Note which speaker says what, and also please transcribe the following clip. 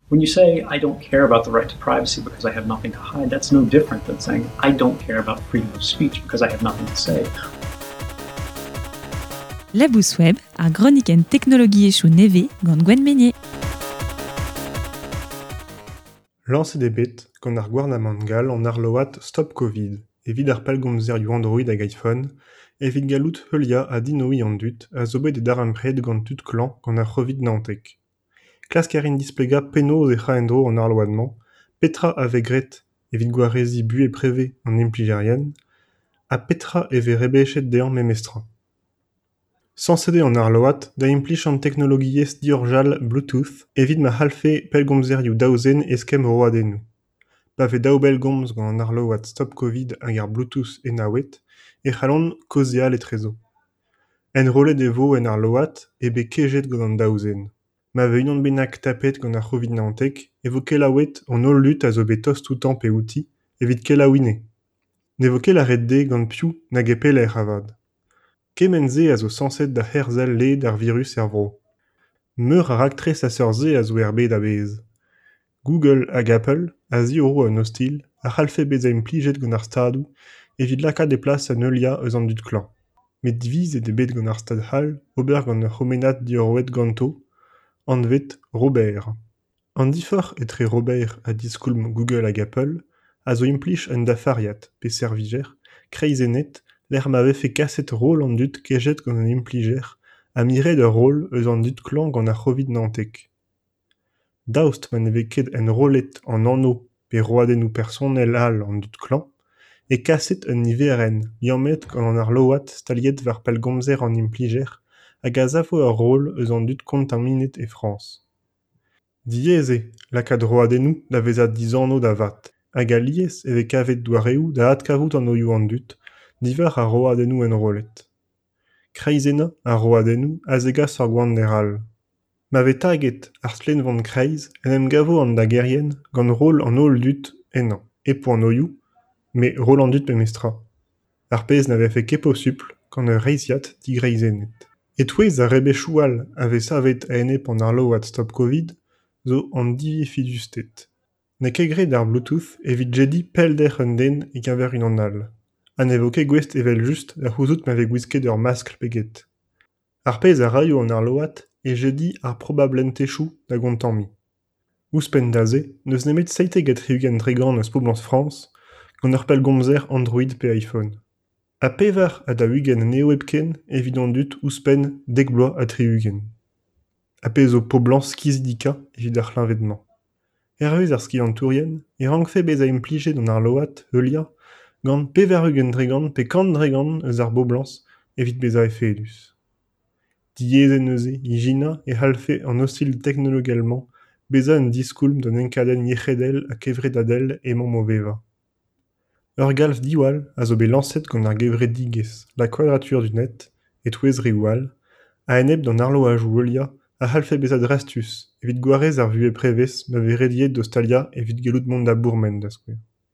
Speaker 1: When you say, I don't care about the right to privacy because I have nothing to hide, that's no different than saying, I don't care about freedom of speech because I have nothing to say.
Speaker 2: Labous Web, ar gronikenn teknologiezhioù nevez gant Gwenn Meynier.
Speaker 3: Lañset eo bet gant ar gouarnamant gall an arload Stop Covid evit ar pellgomzerioù Android hag iPhone evit gallout heuliañ ha dinoiñ an dud a zo bet e darempred gant tud klañv gant ar C'hovid 19. Klask a rin displegañ penaos ec'h a en-dro an arload-mañ, petra a vez graet evit gwareziñ buhez prevez an implijerien ha petra e vez rebechet dezhañ memestra. Sañset eo an arload da implij an teknologiezh diorjal Bluetooth evit ma c'hallfe pellgomzerioù daou zen eskemm roadennoù. Pa vez daou bellgomz gant an arload Stop Covid hag ar Bluetooth enaouet e c'hallont kaozeal etrezo. Enrollet e vo en arload eo bet kejet gant an daou zen. Ma vez unan bennak tapet gant ar C'hovid 19 e vo kelaouet an holl dud a zo bet tost outañ pe outi evit kelaouiñ anezhe. Ne vo ket lâret dezhe gant piv nag e pelec'h avat. Kement-se a zo sañset da herzel led ar virus er vro. Meur a raktres a seurt-se a zo er bed a-bezh. Google hag Apple a ziorro un ostilh a c'hallfe bezañ implijet gant ar Stadoù evit lakaat e plas un heuliañ eus an dud klañv. Met divizet eo bet gant ar Stad c'hall ober gant ur c'homenad diorroet ganto, anvet Robert. An diforc'h etre Robert ha diskoulm Google hag Apple a zo implij un dafariad, pe servijer, kreizennet lec'h ma vefe kaset roll an dud kejet gant un implijer ha miret ur roll eus an dud klañv gant ar C'hovid 19. Daoust ma ne vez ket enrollet an anv pe roadennoù personel all an dud klañv e kaset un niverenn liammet gant an arload staliet war pellgomzer an implijer hag a savo ur roll eus an dud kontaminet e Frañs. Diaes eo lakaat roadennoù da vezañ dizanv da vat hag alies e vez kavet doareoù da adkavout anvioù an dud diwar ar roadennoù enrollet. Kreizennañ ar roadennoù a zegas ur gwander all. Ma vez taget ar stlennvon kreiz en em gavo an dagerien gant roll an holl dud ennañ, hep o anvioù, met roll an dud memestra. Ar pezh na vefe ket posupl gant ur reizhiad digreizennet. E-touez ar rebechoù all a vez savet a-enep an arload Stop Covid zo an diefedusted. N'eo ket graet ar Bluetooth evit jediñ pellder un den e-keñver unan all ha ne vo ket gouest evel-just da c'houzout ma vez gwisket ur maskl pe get. Ar pezh a raio an arload eo jediñ ar probablentezhioù da gontammiñ. Ouzhpenn da se n'eus nemet 77% eus poblañs Frañs gant ur pellgomzer Android pe iPhone. Ha 44 anezho hepken evit an dud ouzhpenn 70. Ar pezh zo poblañs kizidikañ evit ar c'hleñved-mañ. Hervez ar skiantourien e rankfe bezañ implijet an arload heuliañ gant 80% pe 100% eus ar boblañs evit bezañ efedus. Diaes eo neuze ijinañ e c'hallfe an ostilh teknologel-mañ bezañ un diskoulm d'an enkadenn yec'hedel ha kevredadel emaomp o vevañ. Ur galv diwall a zo bet lañset gant ar gevredigezh La Quadrature du Net, e-touez reoù all, a-enep d'an arloadoù heuliañ a c'hallfe bezañ drastus evit gwarez ar vuhez prevez ma vez rediet d'o staliañ evit gallout mont da bourmen, da skouer.